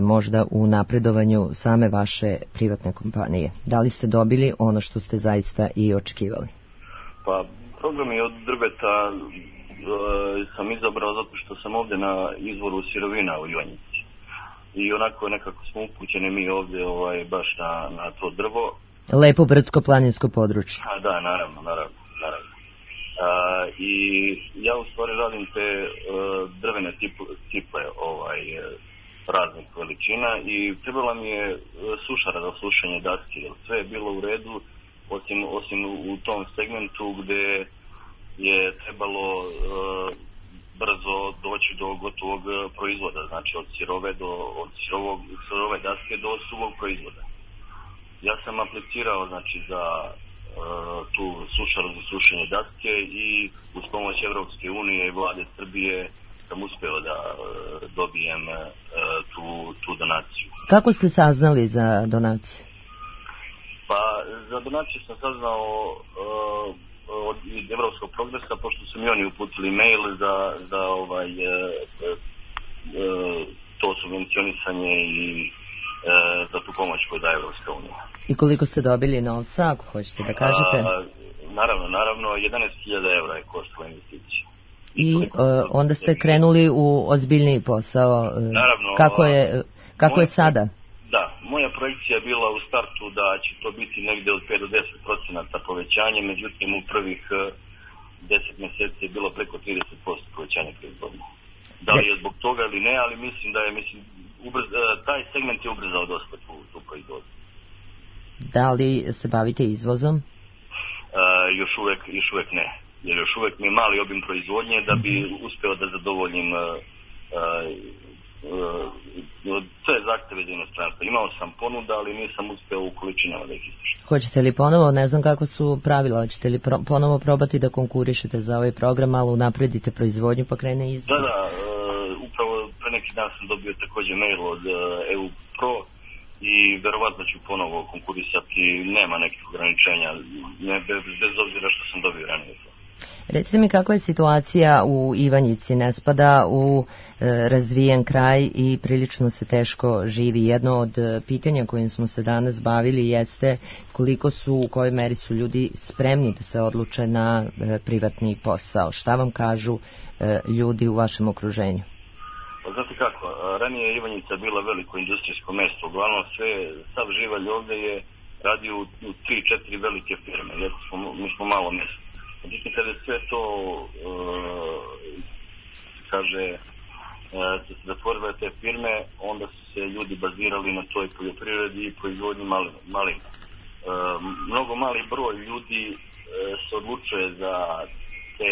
možda u napredovanju same vaše privatne kompanije? Da li ste dobili ono što ste zaista i očekivali? Pa, program je od drveta sam izabrao zato što sam ovdje na izvoru sirovina u Ivanjici. I onako nekako smo upućeni mi ovdje baš na to drvo. Lepo brdsko-planinsko područje. Da, naravno. I ja u stvari radim te drvene ciple raznih veličina i trebala mi je sušara za sušenje daske, jer sve je bilo u redu osim u tom segmentu gdje je trebalo brzo doći do gotovog proizvoda, znači od sirove daske do suvog proizvoda. Ja sam aplicirao znači za tu sušaru za sušenje daske i uz pomoć Evropske unije i vlade Srbije sam uspeo da dobijem tu donaciju. Kako ste saznali za donaciju? Pa za donaciju sam saznao od Evropskog progresa, pošto su mi oni uputili mail za to subvencionisanje i za tu pomoć koju daje Evropska unija. I koliko ste dobili novca, ako hoćete da kažete? Naravno, 11.000 evra je koštala investicija. I onda ste krenuli u ozbiljniji posao. Naravno. Kako je sada? Da, moja projekcija je bila u startu da će to biti negde od 5 do 10% povećanje, međutim u prvih 10 mjeseci je bilo preko 30% povećanja proizvodnje. Da li je zbog toga ili ne, ali mislim da je taj segment je ubrzao dosta tu proizvodnju. Da li se bavite izvozom? Još uvijek ne. Jer još uvijek mi je mali obim proizvodnje da bi uspeo da zadovoljim sve zahteve za inostranstvo. Imao sam ponuda, ali nisam uspeo u količinama da ih izdržim. Hoćete li ponovo, ne znam kako su pravila, hoćete li ponovo probati da konkurišete za ovaj program, malo unapredite proizvodnju pa krene izvoz? Da, upravo pre neki dan sam dobio također mail od EU Pro i verovatno ću ponovo konkurisati, nema nekih ograničenja, bez obzira što sam dobio ranije. Recite mi kakva je situacija u Ivanjici, ne spada u razvijen kraj i prilično se teško živi. Jedno od pitanja kojim smo se danas bavili jeste koliko su, u kojoj meri su ljudi spremni da se odluče na privatni posao. Šta vam kažu ljudi u vašem okruženju? Znate kako, ranije je Ivanjica bila veliko industrijsko mesto, uglavnom sav živalj ovdje je radio u 3-4 velike firme, jer mi smo malo mjesto. Međutim, kada je sve to, su se zatvorile te firme, onda su se ljudi bazirali na toj poljoprivredi i proizvodnji malina. Mnogo mali broj ljudi se odlučuje za te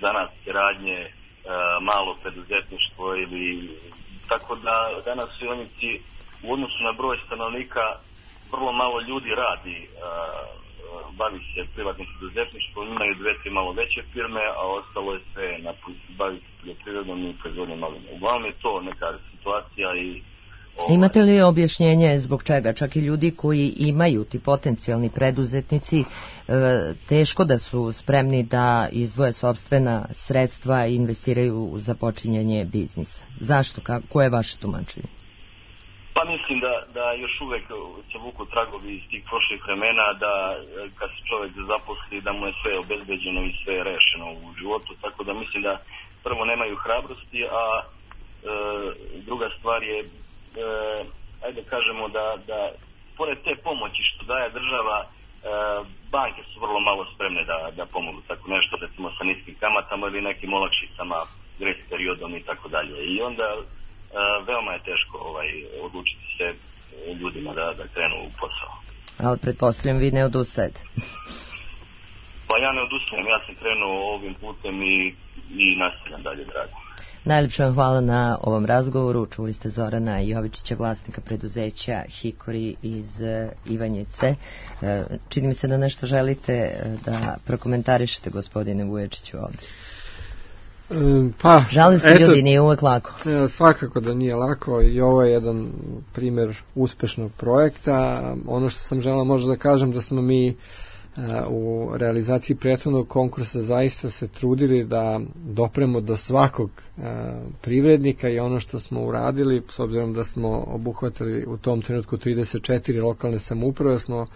zanatske radnje, malo preduzetništvo ili tako da danas u Ivanjici u odnosu na broj stanovnika vrlo malo ljudi radi, bavi se privatnim preduzetništvom, imaju 2-3 malo veće firme, a ostalo je sve bavi se poljoprivrednom i proizvodnjom malina. Uglavnom je to neka situacija i Imate li objašnjenje zbog čega? Čak i ljudi koji imaju, ti potencijalni preduzetnici, teško da su spremni da izdvoje sopstvena sredstva i investiraju u započinjanje biznisa. Zašto? Koje je vaše tumačenje? Pa mislim da još uvek se vuku tragovi iz tih prošlih vremena, da kad se čovjek zaposli da mu je sve obezbeđeno i sve rešeno u životu, tako da mislim da prvo nemaju hrabrosti, a druga stvar je ajde kažemo da pored te pomoći što daje država, banke su vrlo malo spremne da pomogu tako nešto, recimo sa niskim kamatama ili nekim olakšicama, grace periodom i tako dalje. I onda veoma je teško odlučiti se ljudima da krenu u posao. Ali pretpostavljam vi ne odustajete. Pa ja ne odustajem, ja sam krenuo ovim putem i nastavljam dalje da radim. Najljepše vam hvala na ovom razgovoru. Čuli ste Zorana Jovičića, vlasnika preduzeća Hikori iz Ivanjice. Čini mi se da nešto želite da prokomentarišete, gospodine Vuječiću, ovdje. Žalim se, ljudi, nije uvek lako. Svakako da nije lako i ovo je jedan primjer uspešnog projekta. Ono što sam želeo možda da kažem da smo mi u realizaciji prethodnog konkursa zaista se trudili da dopremo do svakog privrednika i ono što smo uradili, s obzirom da smo obuhvatili u tom trenutku 34 lokalne samouprave, smo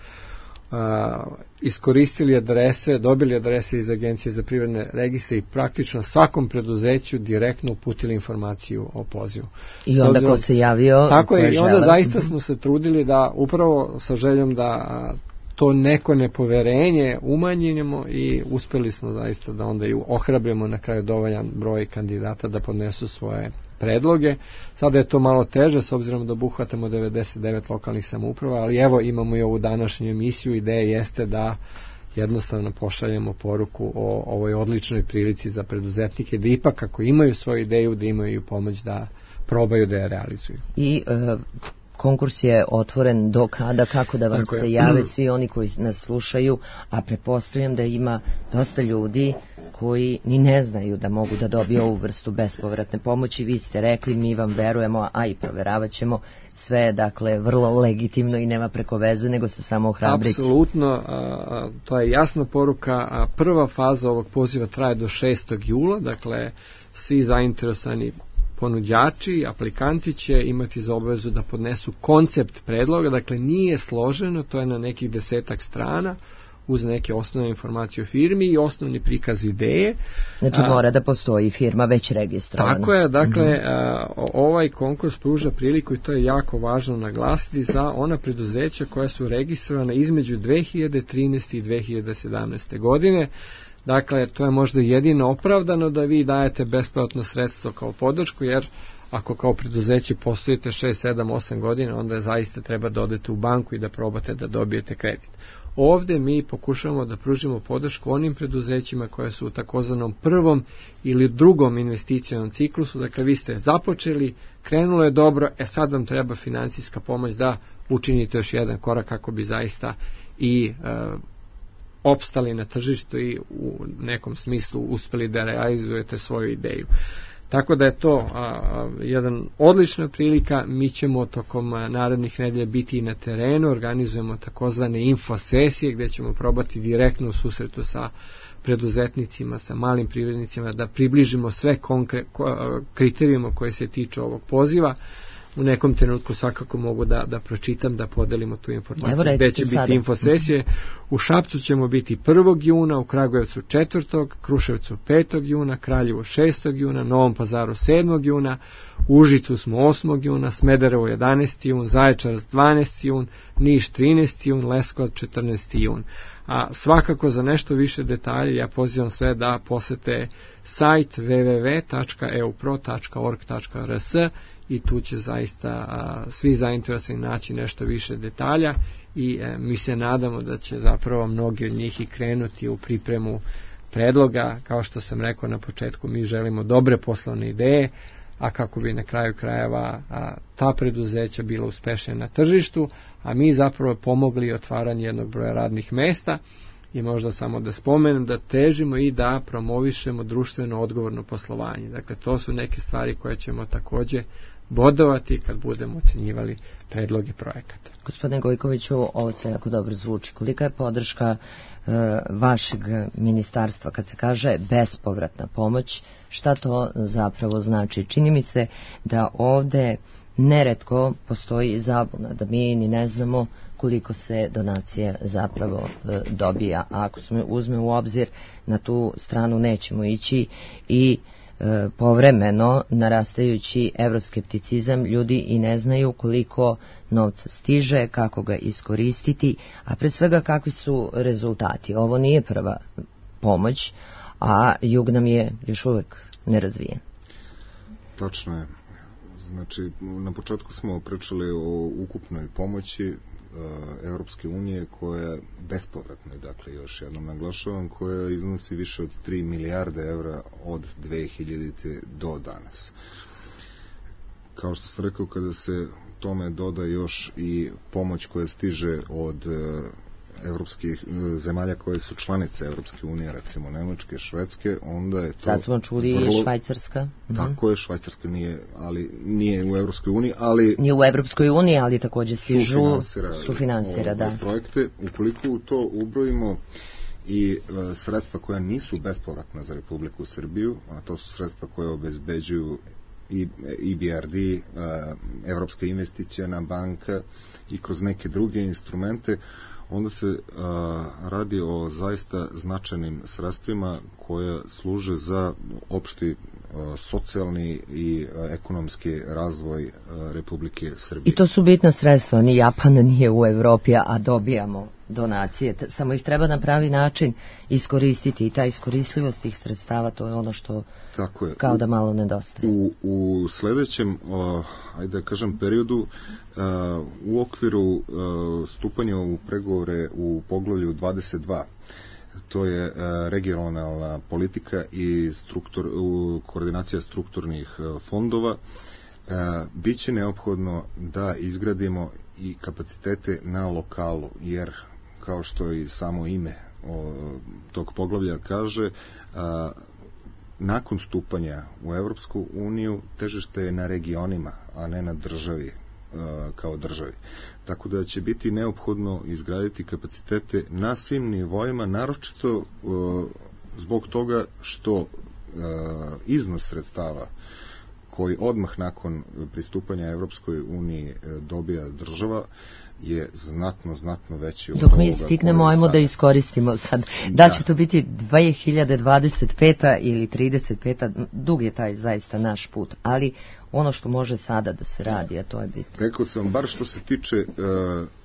iskoristili adrese, dobili adrese iz Agencije za privredne registre i praktično svakom preduzeću direktno uputili informaciju o pozivu. I onda ko se javio... Tako je, i onda zaista smo se trudili da upravo sa željom da to neko nepoverenje umanjimo i uspeli smo zaista da onda i ohrabrimo na kraju dovoljan broj kandidata da podnesu svoje predloge. Sada je to malo teže s obzirom da obuhvatamo 99 lokalnih samouprava, ali evo imamo i ovu današnju emisiju. Ideja jeste da jednostavno pošaljemo poruku o ovoj odličnoj prilici za preduzetnike, da ipak ako imaju svoju ideju, da imaju pomoć da probaju da je realizuju. I konkurs je otvoren do kada, kako da vam se jave svi oni koji nas slušaju, a pretpostavljam da ima dosta ljudi koji ni ne znaju da mogu da dobiju ovu vrstu bespovratne pomoći. Vi ste rekli, mi vam verujemo, a i proveravat ćemo sve, dakle, vrlo legitimno i nema preko veze, nego se samo ohrabriti. Apsolutno, to je jasna poruka. Prva faza ovog poziva traje do 6. jula, dakle, svi zainteresovani ponuđači, aplikanti će imati za obavezu da podnesu koncept predloga, dakle nije složeno, to je na nekih 10 strana, uz neke osnovne informacije o firmi i osnovni prikaz ideje. Znači mora da postoji firma već registrovana. Tako je, dakle, ovaj konkurs pruža priliku, i to je jako važno naglasiti, za ona preduzeća koja su registrovana između 2013. i 2017. godine. Dakle, to je možda jedino opravdano da vi dajete besplatno sredstvo kao podršku, jer ako kao preduzeće postojite 6, 7, 8 godina, onda zaista treba da odete u banku i da probate da dobijete kredit. Ovde mi pokušavamo da pružimo podršku onim preduzećima koje su u takozvanom prvom ili drugom investicionom ciklusu. Dakle, vi ste započeli, krenulo je dobro, sad vam treba finansijska pomoć da učinite još jedan korak kako bi zaista i opstali na tržištu i u nekom smislu uspeli da realizujete svoju ideju. Tako da je to jedan odlična prilika. Mi ćemo tokom narednih nedelja biti i na terenu, organizujemo takozvane infosesije gdje ćemo probati direktno u susretu sa preduzetnicima, sa malim privrednicima da približimo sve kriterijuma koje se tiču ovog poziva. U nekom trenutku svakako mogu da pročitam, da podelimo tu informaciju. Gde će biti infosesije? U Šapcu ćemo biti 1. juna, u Kragujevcu 4., Kruševcu 5. juna, Kraljevu 6. juna, Novom Pazaru 7. juna, Užicu smo 8. juna, Smederevo 11. jun, Zaječar 12. jun, Niš 13. jun, Leskovac 14. jun. A svakako za nešto više detalja ja pozivam sve da posete sajt www.eupro.org.rs i tu će zaista svi zainteresovani naći nešto više detalja i mi se nadamo da će zapravo mnogi od njih i krenuti u pripremu predloga. Kao što sam rekao na početku, mi želimo dobre poslovne ideje, a kako bi na kraju krajeva ta preduzeća bila uspešna na tržištu, a mi zapravo pomogli otvaranje jednog broja radnih mesta. I možda samo da spomenem da težimo i da promovišemo društveno odgovorno poslovanje. Dakle, to su neke stvari koje ćemo takođe bodovati kad budemo ocenjivali predloge projekata. Gospodine Gojkoviću, ovo sve jako dobro zvuči. Kolika je podrška vašeg ministarstva kad se kaže bespovratna pomoć? Šta to zapravo znači? Čini mi se da ovde neretko postoji zabuna, da mi ni ne znamo koliko se donacija zapravo dobija. A ako se uzme u obzir, na tu stranu nećemo ići i povremeno narastajući evroskepticizam, ljudi i ne znaju koliko novca stiže, kako ga iskoristiti, a pre svega kakvi su rezultati. Ovo nije prva pomoć, a jug nam je još uvek nerazvijen. Tačno je. Znači, na početku smo pričali o ukupnoj pomoći Evropske unije koja je bespovratna, dakle još jednom naglašavam, koja iznosi više od 3 milijarde evra od 2000. do danas. Kao što sam rekao, kada se tome doda još i pomoć koja stiže od evropskih zemalja koje su članice Evropske unije, recimo Nemačke, Švedske, onda je to... Sad smo čuli vrlo... Švajcarska. Tako je, Švajcarska nije u Evropskoj uniji, ali... Nije u Evropskoj uniji, ali takođe stižu sufinansira, da. Projekte. Ukoliko u to ubrojimo i sredstva koja nisu bespovratna za Republiku Srbiju, a to su sredstva koje obezbeđuju i EBRD, Evropska investicijana banka i kroz neke druge instrumente, onda se radi o zaista značajnim sredstvima koja služe za opšti socijalni i ekonomski razvoj Republike Srbije. I to su bitna sredstva, ni Japan nije u Evropi, a dobijamo donacije, samo ih treba na pravi način iskoristiti i ta iskoristljivost tih sredstava, to je ono što kao da malo nedostaje. U sledećem, ajde da kažem, periodu, u okviru stupanja u pregovore u poglavlju 22, to je regionalna politika i koordinacija strukturnih fondova, biće neophodno da izgradimo i kapacitete na lokalu, jer kao što i samo ime tog poglavlja kaže, nakon stupanja u Evropsku uniju težište je na regionima, a ne na državi kao državi. Tako da će biti neophodno izgraditi kapacitete na svim nivoima, naročito zbog toga što iznos sredstava koji odmah nakon pristupanja Evropskoj uniji dobija država je znatno veći od dok mi stignemo, ajmo da iskoristimo sad. Da će to biti 2025. ili 35. Dug je taj zaista naš put, ali ono što može sada da se radi, a to je bitno. Rekao sam, bar što se tiče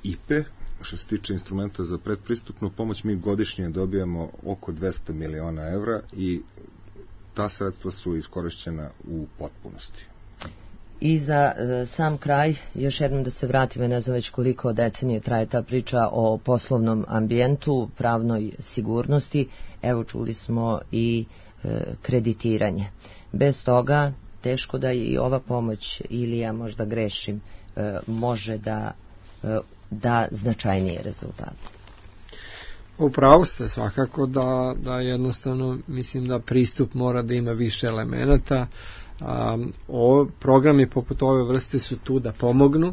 IPE, što se tiče instrumenta za predpristupnu pomoć, mi godišnje dobijamo oko 200 miliona evra i ta sredstva su iskorišćena u potpunosti. I za sam kraj, još jednom da se vratimo, ne znam već koliko decenije traje ta priča o poslovnom ambijentu, pravnoj sigurnosti, evo čuli smo i kreditiranje. Bez toga teško da i ova pomoć, ili ja možda grešim, može da značajnije rezultate. Upravo ste svakako da jednostavno mislim da pristup mora da ima više elemenata. Programi poput ove vrste su tu da pomognu.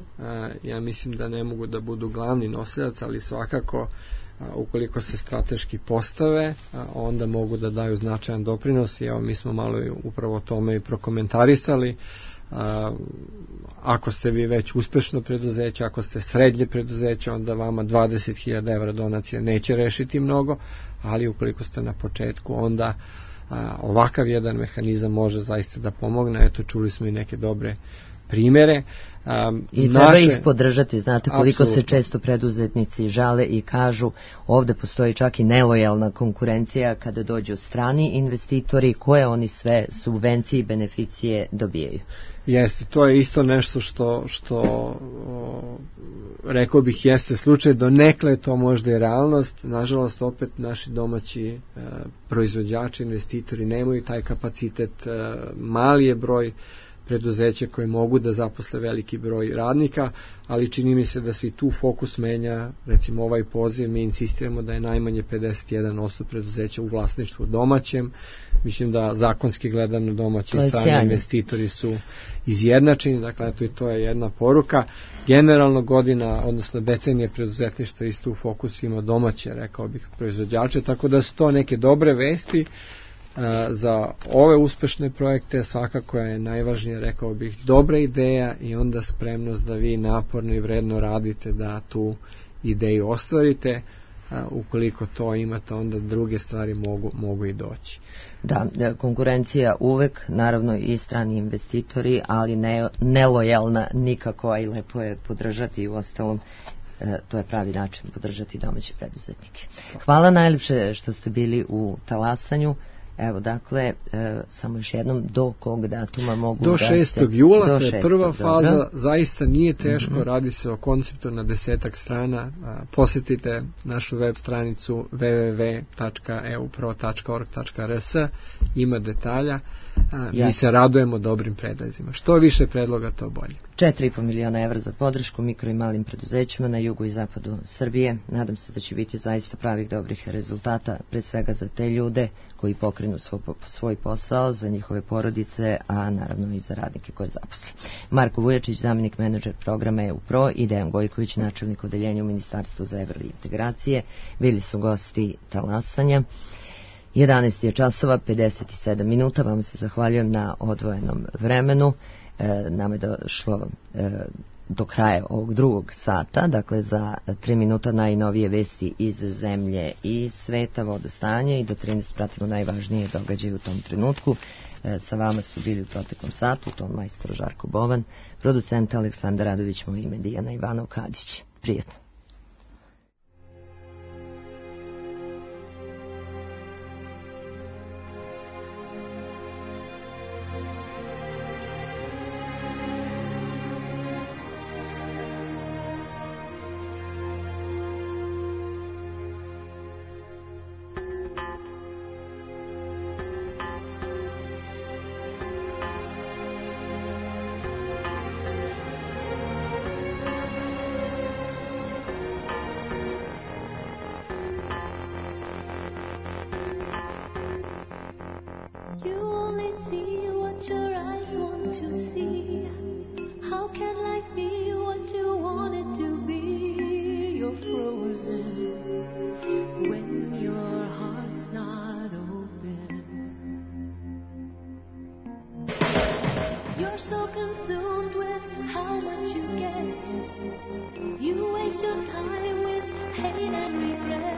Ja mislim da ne mogu da budu glavni nosilac, ali svakako ukoliko se strateški postave, onda mogu da daju značajan doprinos i evo mi smo malo upravo tome i prokomentarisali. Ako ste vi već uspešno preduzeće, ako ste srednje preduzeće, onda vama 20.000 evra donacija neće rešiti mnogo, ali ukoliko ste na početku, onda ovakav jedan mehanizam može zaista da pomogne. Eto, čuli smo i neke dobre primere. I treba ih podržati, znate koliko apsolutno se često preduzetnici žale i kažu ovde postoji čak i nelojalna konkurencija kada dođu strani investitori, koje oni sve subvencije i beneficije dobijaju. Jeste, to je isto nešto što rekao bih jeste slučaj, donekle to možda je realnost, nažalost opet naši domaći proizvođači, investitori nemaju taj kapacitet, mali je broj preduzeća koje mogu da zaposle veliki broj radnika, ali čini mi se da se i tu fokus menja. Recimo ovaj poziv, mi insistiramo da je najmanje 51% preduzeća u vlasništvu domaćem. Mislim da zakonski gledano domaći i strani investitori su izjednačeni, dakle eto i to je jedna poruka. Generalno godina, odnosno decenije preduzetništva isto u fokusu ima domaće, rekao bih, proizvođače, tako da su to neke dobre vesti. Za ove uspešne projekte svakako je najvažnije, rekao bih, dobra ideja i onda spremnost da vi naporno i vredno radite da tu ideju ostvarite. Ukoliko to imate, onda druge stvari mogu i doći. Da, konkurencija uvek, naravno i strani investitori, ali nelojalna nikako, a i lepo je podržati i u ostalom to je pravi način podržati domaće preduzetnike. Hvala najljepše što ste bili u talasanju. Evo, dakle, samo još jednom, do kog datuma mogu do da 6. jula, to je prva faza, zaista nije teško, radi se o konceptu na 10 strana, posetite našu web stranicu www.eupro.org.rs, ima detalja, mi se radujemo dobrim predlozima. Što više predloga, to bolje. 4,5 miliona evra za podršku mikro i malim preduzećima na jugu i zapadu Srbije. Nadam se da će biti zaista pravih dobrih rezultata, pre svega za te ljude koji pokrenu svoj posao, za njihove porodice, a naravno i za radnike koje zaposle. Marko Vujačić, zamjenik menadžer programa EUPRO, i Dejan Gojković, načelnik odeljenja u Ministarstvu za evrointegracije, bili su gosti talasanja. 11 je časova, 57 minuta, vam se zahvaljujem na odvojenom vremenu. Nama je došlo do kraja ovog drugog sata, dakle za 3 minuta najnovije vesti iz zemlje i sveta, vodostanje, i do 13 pratimo najvažnije događaje u tom trenutku. Sa vama su bili u proteklom satu ton majstor Žarko Bovan, producent Aleksandar Radović, moje ime Dijana Ivanov Kadić. Prijetno. You're so consumed with how much you get. You waste your time with hate and regret.